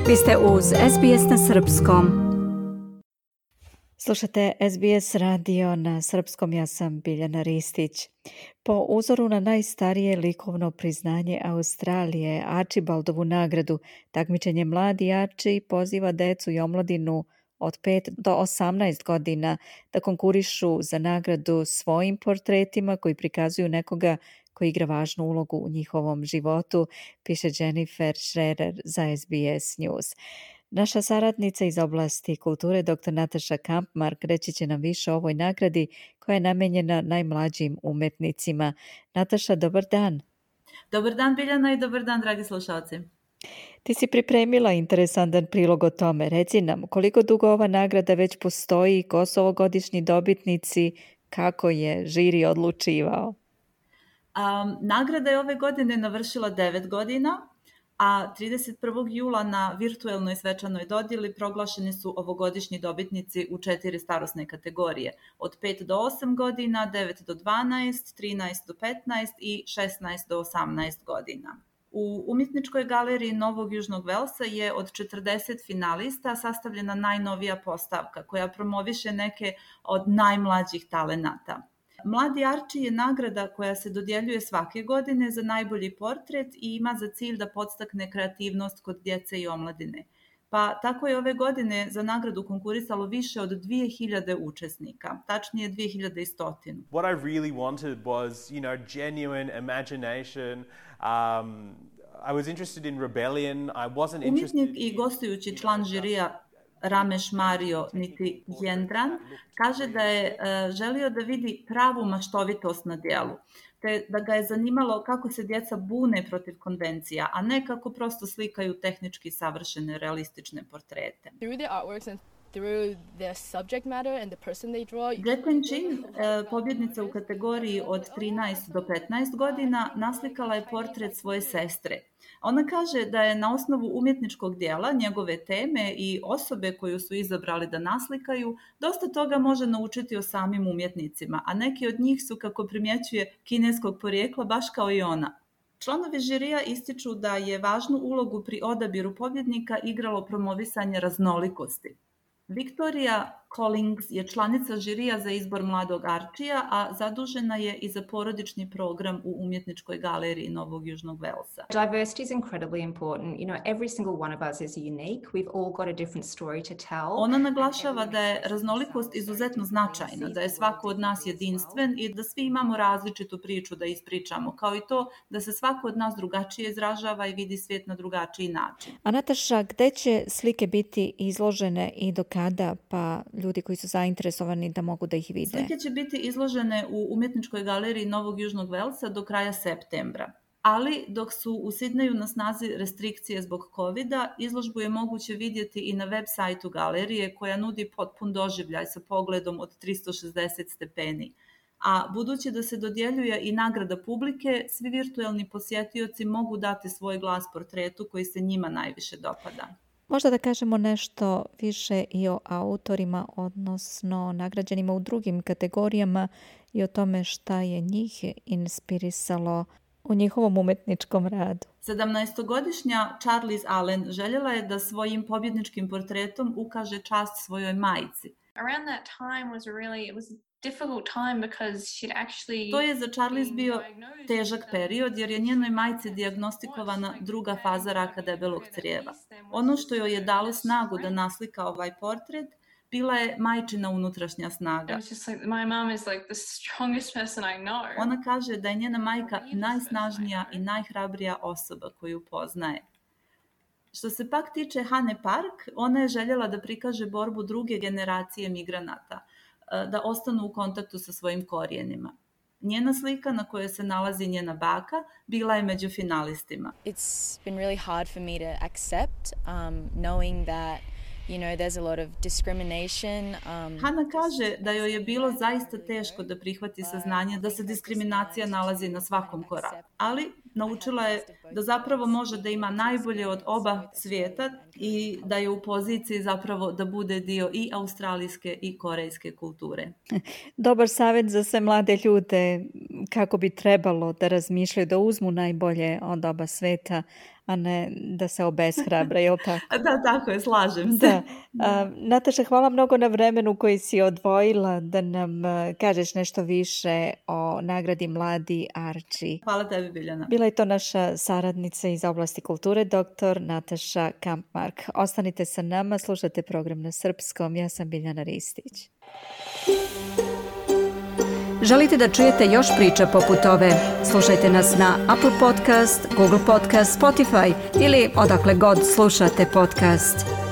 Vi ste uz SBS na srpskom. Slušate SBS radio na srpskom, ja sam Biljana Ristić. Po uzoru na najstarije likovno priznanje Australije, Archibaldovu nagradu, takmičenje Mladi Archie poziva decu i omladinu od 5 do 18 godina da konkurišu za nagradu svojim portretima koji prikazuju nekoga koji igra važnu ulogu u njihovom životu, piše Jennifer Schrerer za SBS News. Naša saradnica iz oblasti kulture, dr. Nataša Kampmark, reći će nam više o ovoj nagradi koja je namenjena najmlađim umetnicima. Nataša, dobar dan. Dobar dan, Biljana, i dobar dan, dragi slušalci. Ti si pripremila interesantan prilog o tome. Reci nam, koliko dugo ova nagrada već postoji, ko su ovogodišnji dobitnici, kako je žiri odlučivao? Nagrada je ove godine navršila 9 godina, a 31. jula na virtuelnoj svečanoj dodjeli proglašeni su ovogodišnji dobitnici u 4 starosne kategorije, od 5 do 8 godina, 9 do 12, 13 do 15 i 16 do 18 godina. U Umjetničkoj galeriji Novog Južnog Velsa je od 40 finalista sastavljena najnovija postavka koja promoviše neke od najmlađih talenata. Mladi Archie je nagrada koja se dodjeljuje svake godine za najbolji portret i ima za cilj da podstakne kreativnost kod djece i omladine. Pa tako je ove godine za nagradu konkurisalo više od 2000 učesnika, tačnije 2100. What I really wanted was, genuine imagination. I was interested in rebellion. I wasn't interested. Umjetnik i gostujući član žirija Ramesh Mario niti Jendran kaže da je želio da vidi pravu maštovitost na djelu, te da ga je zanimalo kako se djeca bune protiv konvencija, a ne kako prosto slikaju tehnički savršene realistične portrete. Through their subject matter and the person they draw. Jetten Chin, pobjednica u kategoriji od 13 do 15 godina, naslikala je portret svoje sestre. Ona kaže da je na osnovu umjetničkog dijela, njegove teme i osobe koju su izabrali da naslikaju, dosta toga može naučiti o samim umjetnicima, a neki od njih su, kako primjećuje, kineskog porijekla, baš kao i ona. Članovi žirija ističu da je važnu ulogu pri odabiru pobjednika igralo promovisanje raznolikosti. Victoria Collings je članica žirija za izbor Mladog Archija, a zadužena je i za porodični program u Umjetničkoj galeriji Novog Južnog Velsa. Diversity is incredibly important. Every single one of us is unique. We've all got a different story to tell. Ona naglašava da je raznolikost izuzetno značajna, da je svako od nas jedinstven i da svi imamo različitu priču da ispričamo, kao i to da se svako od nas drugačije izražava i vidi svijet na drugačiji način. A Nataša, gde će slike biti izložene i do kada, pa ljudi koji su zainteresovani da mogu da ih vide? Slike će biti izložene u Umjetničkoj galeriji Novog Južnog Velsa do kraja septembra. Ali dok su u Sidneju na snazi restrikcije zbog COVID-a, izložbu je moguće vidjeti i na web sajtu galerije koja nudi potpun doživljaj sa pogledom od 360 stepeni. A budući da se dodjeljuje i nagrada publike, svi virtuelni posjetioci mogu dati svoj glas portretu koji se njima najviše dopada. Možda da kažemo nešto više i o autorima, odnosno nagrađenima u drugim kategorijama i o tome šta je njih inspirisalo u njihovom umjetničkom radu. 17-godišnja Charlize Allen željela je da svojim pobjedničkim portretom ukaže čast svojoj majci. Around that time it was difficult time because she'd actually. To je za Charlize bio težak period jer je njenoj majci dijagnostikovana druga faza raka debelog crijeva. Ono što joj je dalo snagu da naslika ovaj portret bila je majčina unutrašnja snaga. Ona kaže da je njena majka najsnažnija i najhrabrija osoba koju poznaje. Što se pak tiče Hane Park, ona je željela da prikaže borbu druge generacije migranata, da ostanu u kontaktu sa svojim korijenima. Njena slika na kojoj se nalazi njena baka bila je među finalistima. It's been really hard for me to accept, knowing that there's a lot of discrimination. Hana kaže da joj je bilo zaista teško da prihvati saznanje da se diskriminacija nalazi na svakom koraku, ali naučila je da zapravo može da ima najbolje od oba svijeta i da je u poziciji zapravo da bude dio i australijske i korejske kulture. Dobar savjet za sve mlade ljude kako bi trebalo da razmišljaju, da uzmu najbolje od oba sveta, a ne da se obeshrabre, je li tako? Da, tako je, slažem se. Da. Nataša, hvala mnogo na vremenu koji si odvojila da nam kažeš nešto više o nagradi Mladi Arči. Hvala tebi, Biljana. Bila je to naša saradnica iz oblasti kulture, dr. Nataša Kampmark. Ostanite sa nama, slušate program na srpskom. Ja sam Biljana Ristić. Želite da čujete još priča poput ove? Slušajte nas na Apple Podcast, Google Podcast, Spotify ili odakle god slušate podcast.